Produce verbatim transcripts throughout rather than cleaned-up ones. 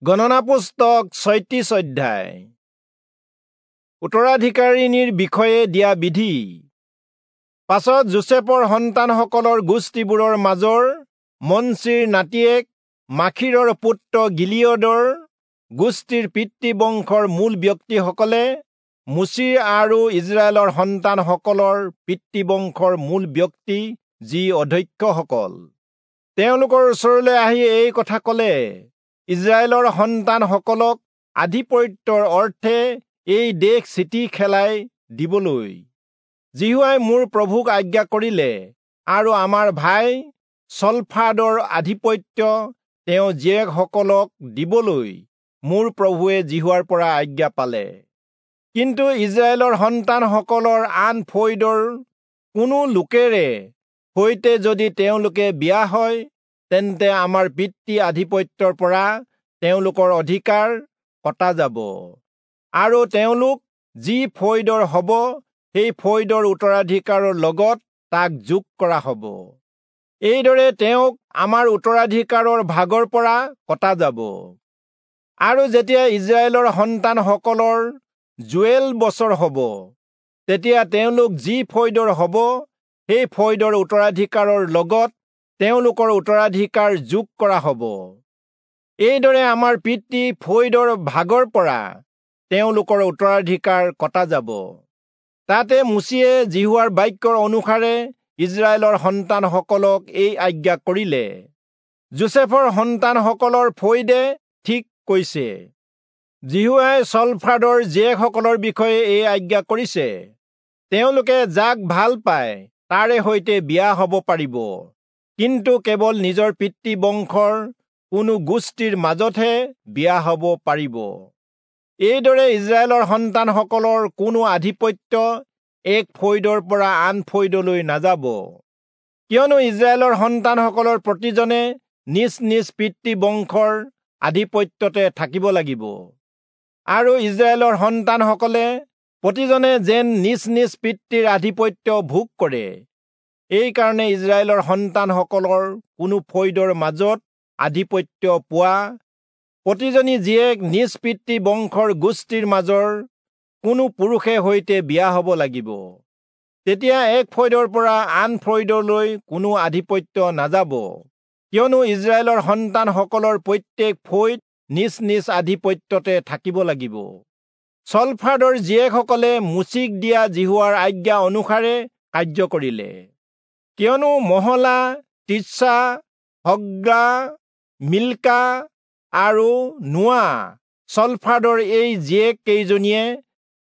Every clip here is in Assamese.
গণনা পুস্তক ছয়ত্ৰিশ অধ্যায়। উত্তৰাধিকাৰিণীৰ বিষয়ে দিয়া বিধি। পাছত যোচেফৰ সন্তানসকলৰ গোষ্ঠীবোৰৰ মাজৰ মনচিৰ নাতিয়েক মাখীৰৰ পুত্ৰ গিলিয়দৰ গোষ্ঠীৰ পিতৃবংশৰ মূল ব্যক্তিসকলে মোচিৰ আৰু ইস্ৰায়েলৰ সন্তানসকলৰ পিতৃবংশৰ মূল ব্যক্তি যি অধ্যক্ষসকল, তেওঁলোকৰ ওচৰলৈ আহি এই কথা কলে, ইস্ৰায়েলৰ সন্তানসকলক আধিপত্যৰ অৰ্থে এই দেশ চিঠি খেলাই দিবলৈ যিহোৱাই মোৰ প্ৰভুক আজ্ঞা কৰিলে, আৰু আমাৰ ভাই চলফাদৰ আধিপত্য তেওঁ জীয়েকসকলক দিবলৈ মোৰ প্ৰভুৱে যিহোৱাৰ পৰা আজ্ঞা পালে। কিন্তু ইস্ৰায়েলৰ সন্তানসকলৰ আন ফৈদৰ কোনো লোকেৰে সৈতে যদি তেওঁলোকে বিয়া হয়, তেন্তে আমাৰ পিতৃ আধিপত্যৰ পৰা তেওঁলোকৰ অধিকাৰ কটা যাব, আৰু তেওঁলোক যি ফৈদৰ হ'ব সেই ফৈদৰ উত্তৰাধিকাৰৰ লগত তাক যোগ কৰা হ'ব। এইদৰে তেওঁক আমাৰ উত্তৰাধিকাৰৰ ভাগৰ পৰা কটা যাব। আৰু যেতিয়া ইস্ৰায়েলৰ সন্তানসকলৰ যোৱেল বছৰ হ'ব, তেতিয়া তেওঁলোক যি ফৈদৰ হ'ব সেই ফৈদৰ উত্তৰাধিকাৰৰ লগত তেওঁলোকৰ উত্তৰাধিকাৰ যোগ কৰা হ'ব। এইদৰে আমাৰ পিতৃ ফৈদৰ ভাগৰ পৰা তেওঁলোকৰ উত্তৰাধিকাৰ কটা যাব। তাতে মোচিয়ে যিহোৱাৰ বাক্যৰ অনুসাৰে ইস্ৰায়েলৰ সন্তানসকলক এই আজ্ঞা কৰিলে, যোচেফৰ সন্তানসকলৰ ফৈদে ঠিক কৈছে। যিহোৱাই চলফাদৰ জীয়েকসকলৰ বিষয়ে এই আজ্ঞা কৰিছে, তেওঁলোকে যাক ভাল পায় তাৰে সৈতে বিয়া হ'ব পাৰিব, কিন্তু কেৱল নিজৰ পিতৃবংশৰ কোনো গোষ্ঠীৰ মাজতহে বিয়া হ'ব পাৰিব। এইদৰে ইস্ৰায়েলৰ সন্তানসকলৰ কোনো আধিপত্য এক ফৈদৰ পৰা আন ফৈদলৈ নাযাব, কিয়নো ইস্ৰায়েলৰ সন্তানসকলৰ প্ৰতিজনে নিজ নিজ পিতৃবংশৰ আধিপত্যতে থাকিব লাগিব, আৰু ইস্ৰায়েলৰ সন্তানসকলে প্ৰতিজনে যেন নিজ নিজ পিতৃৰ আধিপত্য ভোগ কৰে। এইকাৰণে ইস্ৰায়েলৰ সন্তানসকলৰ কোনো ফৈদৰ মাজত আধিপত্য পোৱা প্ৰতিজনী জীয়েক নিজ পিতৃ বংশৰ গোষ্ঠীৰ মাজৰ কোনো পুৰুষে সৈতে বিয়া হ'ব লাগিব। তেতিয়া এক ফৈদৰ পৰা আন ফৈদলৈ কোনো আধিপত্য নাযাব, কিয়নো ইস্ৰায়েলৰ সন্তানসকলৰ প্ৰত্যেক ফৈদ নিজ নিজ আধিপত্যতে থাকিব লাগিব। চলফাদৰ জীয়েকসকলে মোচিক দিয়া যিহোৱাৰ আজ্ঞা অনুসাৰে কাৰ্য কৰিলে, কিয়নো মহলা, তিৰ্চা, হগ্লা, মিল্কা আৰু নোৱা চলফাদৰ এই জীয়েক কেইজনীয়ে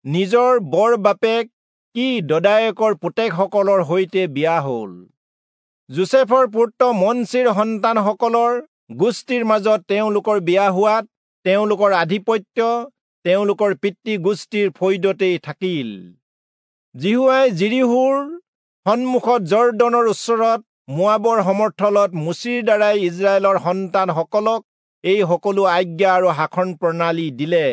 নিজৰ বৰ বাপেক কি দদায়েকৰ পুতেকসকলৰ সৈতে বিয়া হ'ল। যোচেফৰ পুত্ৰ মনচিৰ সন্তানসকলৰ গোষ্ঠীৰ মাজত তেওঁলোকৰ বিয়া হোৱাত তেওঁলোকৰ আধিপত্য তেওঁলোকৰ পিতৃ গোষ্ঠীৰ ফৈদতেই থাকিল। যিহোৱাই যিৰীহোৰ সন্মুখত যৰ্দনৰ ওচৰত মোৱাবৰ সমৰ্থলত মোচিৰ দ্বাৰাই ইস্ৰায়েলৰ সন্তানসকলক এই সকলো আজ্ঞা আৰু শাসন প্ৰণালী দিলে।